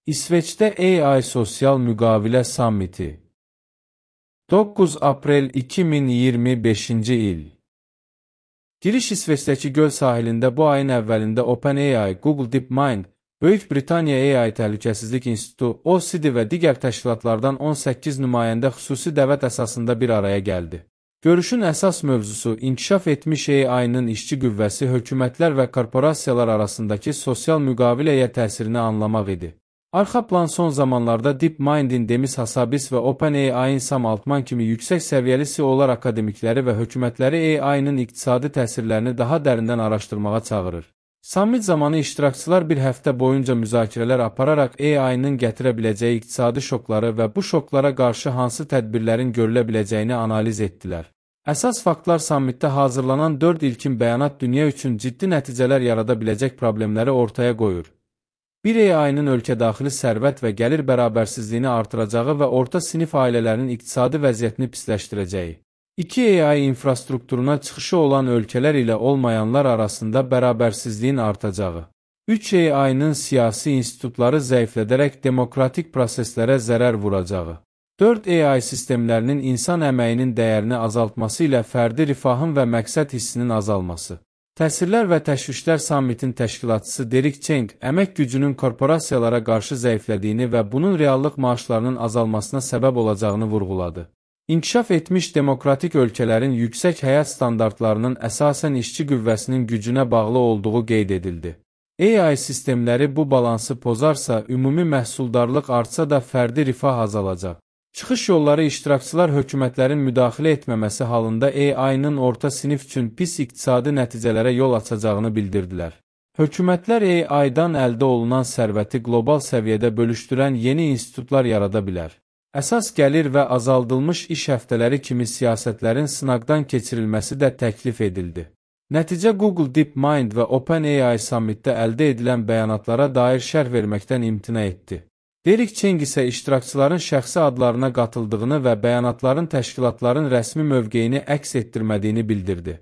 İsveçdə AI Sosial Müqavilə Sammiti 9 aprel 2025-ci il. Giriş İsveçdəki göl sahilində bu ayın əvvəlində OpenAI, Google DeepMind, Böyük Britaniya AI Təhlükəsizlik İnstitutu, OECD və digər təşkilatlardan 18 nümayəndə xüsusi dəvət əsasında bir araya gəldi. Görüşün əsas mövzusu inkişaf etmiş AI-nın işçi qüvvəsi, hökumətlər və korporasiyalar arasındakı sosial müqaviləyə təsirini anlamaq idi. Arxa plan son zamanlarda DeepMind'in Demis Hassabis və OpenAI-in Sam Altman kimi yüksək səviyyəli CEO-lar akademikləri və hökumətləri AI-nın iqtisadi təsirlərini daha dərindən araşdırmağa çağırır. Sammit zamanı iştirakçılar bir həftə boyunca müzakirələr apararaq AI-nın gətirə biləcəyi iqtisadi şokları və bu şoklara qarşı hansı tədbirlərin görülə biləcəyini analiz etdilər. Əsas faktlar sammitdə hazırlanan 4 ilkin bəyanat dünya üçün ciddi nəticələr yarada biləcək problemləri ortaya qoyur. Bir AI-nın ölkədaxili sərvət və gəlir bərabərsizliyini artıracağı və orta sinif ailələrin iqtisadi vəziyyətini pisləşdirəcəyi. 2 AI infrastrukturuna çıxışı olan ölkələr ilə olmayanlar arasında bərabərsizliyin artacağı. 3 AI-nın siyasi institutları zəiflədərək demokratik proseslərə zərər vuracağı. 4 AI sistemlərinin insan əməyinin dəyərini azaltması ilə fərdi rifahın və məqsəd hissinin azalması. Təsirlər və təşvişlər sammitin təşkilatçısı Derek Cheng, əmək gücünün korporasiyalara qarşı zəiflədiyini və bunun reallıq maaşlarının azalmasına səbəb olacağını vurğuladı. İnkişaf etmiş demokratik ölkələrin yüksək həyat standartlarının əsasən işçi qüvvəsinin gücünə bağlı olduğu qeyd edildi. AI sistemləri bu balansı pozarsa, ümumi məhsuldarlıq artsa da fərdi rifah azalacaq. Çıxış yolları iştirakçılar hökumətlərin müdaxilə etməməsi halında AI-nın orta sinif üçün pis iqtisadi nəticələrə yol açacağını bildirdilər. Hökumətlər AI-dan əldə olunan sərvəti qlobal səviyyədə bölüşdürən yeni institutlar yarada bilər. Əsas gəlir və azaldılmış iş həftələri kimi siyasətlərin sınaqdan keçirilməsi də təklif edildi. Nəticə Google DeepMind və OpenAI sammitdə əldə edilən bəyanatlara dair şərh verməkdən imtina etdi. Derek Cheng isə iştirakçıların şəxsi adlarına qatıldığını və bəyanatların təşkilatların rəsmi mövqeyini əks etdirmədiyini bildirdi.